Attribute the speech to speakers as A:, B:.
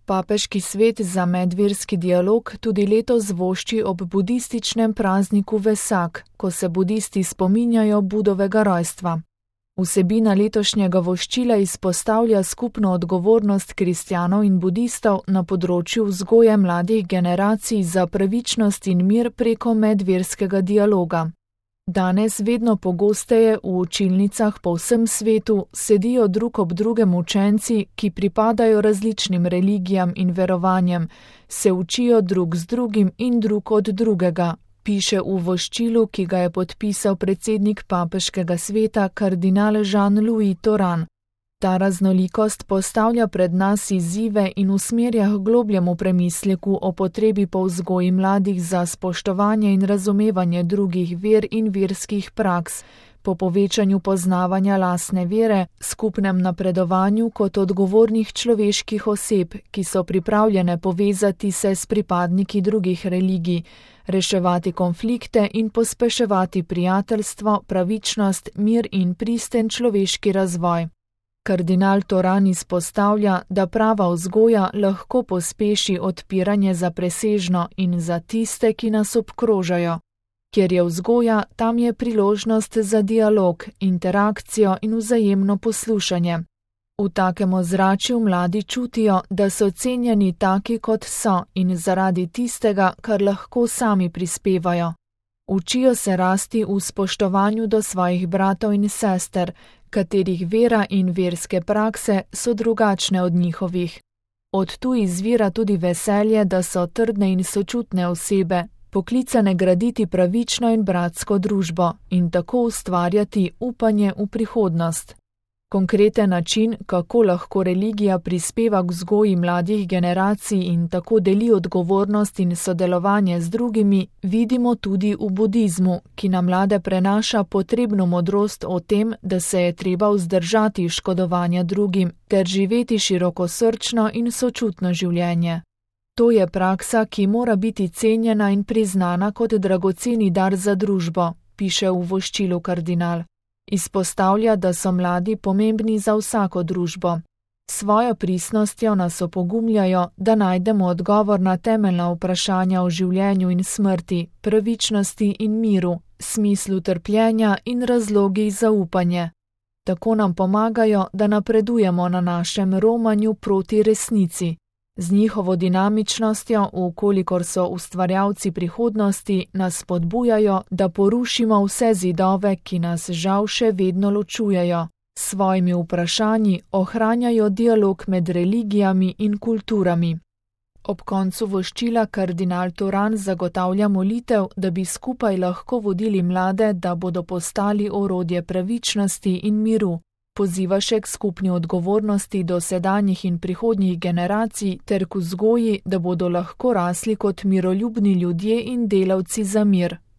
A: Papeški svet za medverski dialog tudi letos vošči ob budističnem prazniku Vesak, ko se budisti spominjajo Budovega rojstva. Vsebina letošnjega voščila izpostavlja skupno odgovornost kristjanov in budistov na področju vzgoje mladih generacij za pravičnost in mir preko medverskega dialoga. Danes vedno pogosteje v učilnicah po vsem svetu sedijo drug ob drugem učenci, ki pripadajo različnim religijam in verovanjem, se učijo drug z drugim in drug od drugega, piše v voščilu, ki ga je podpisal predsednik Papeškega sveta kardinal Jean-Louis Thoran. Ta raznolikost postavlja pred nas izzive in usmerja k globljemu premisleku o potrebi po vzgoji mladih za spoštovanje in razumevanje drugih ver in verskih praks, po povečanju poznavanja lastne vere, skupnem napredovanju kot odgovornih človeških oseb, ki so pripravljene povezati se s pripadniki drugih religij, reševati konflikte in pospeševati prijateljstvo, pravičnost, mir in pristen človeški razvoj. Kardinal Thoran izpostavlja, da prava vzgoja lahko pospeši odpiranje za presežno in za tiste, ki nas obkrožajo. Kjer je vzgoja, tam je priložnost za dialog, interakcijo in vzajemno poslušanje. V takem ozračju mladi čutijo, da so cenjeni taki, kot so in zaradi tistega, kar lahko sami prispevajo. Učijo se rasti v spoštovanju do svojih bratov in sester, katerih vera in verske prakse so drugačne od njihovih. Od tu izvira tudi veselje, da so trdne in sočutne osebe, poklicane graditi pravično in bratsko družbo in tako ustvarjati upanje v prihodnost. Konkreten način, kako lahko religija prispeva k vzgoji mladih generacij in tako deli odgovornost in sodelovanje z drugimi, vidimo tudi v budizmu, ki na mlade prenaša potrebno modrost o tem, da se je treba vzdržati škodovanja drugim ter živeti širokosrčno in sočutno življenje. To je praksa, ki mora biti cenjena in priznana kot dragoceni dar za družbo, piše v voščilu kardinal. Izpostavlja, da so mladi pomembni za vsako družbo. Svojo pristnostjo nas opogumljajo, da najdemo odgovor na temeljna vprašanja o življenju in smrti, pravičnosti in miru, smislu trpljenja in razlogih za upanje. Tako nam pomagajo, da napredujemo na našem romanju proti resnici. Z njihovo dinamičnostjo, vkolikor so ustvarjalci prihodnosti, nas spodbujajo, da porušimo vse zidove, ki nas žal še vedno ločujejo. S svojimi vprašanji ohranjajo dialog med religijami in kulturami. Ob koncu voščila kardinal Thoran zagotavlja molitev, da bi skupaj lahko vodili mlade, da bodo postali orodje pravičnosti in miru. Poziva še k skupni odgovornosti do sedanjih in prihodnjih generacij ter k vzgoji, da bodo lahko rasli kot miroljubni ljudje in delavci za mir.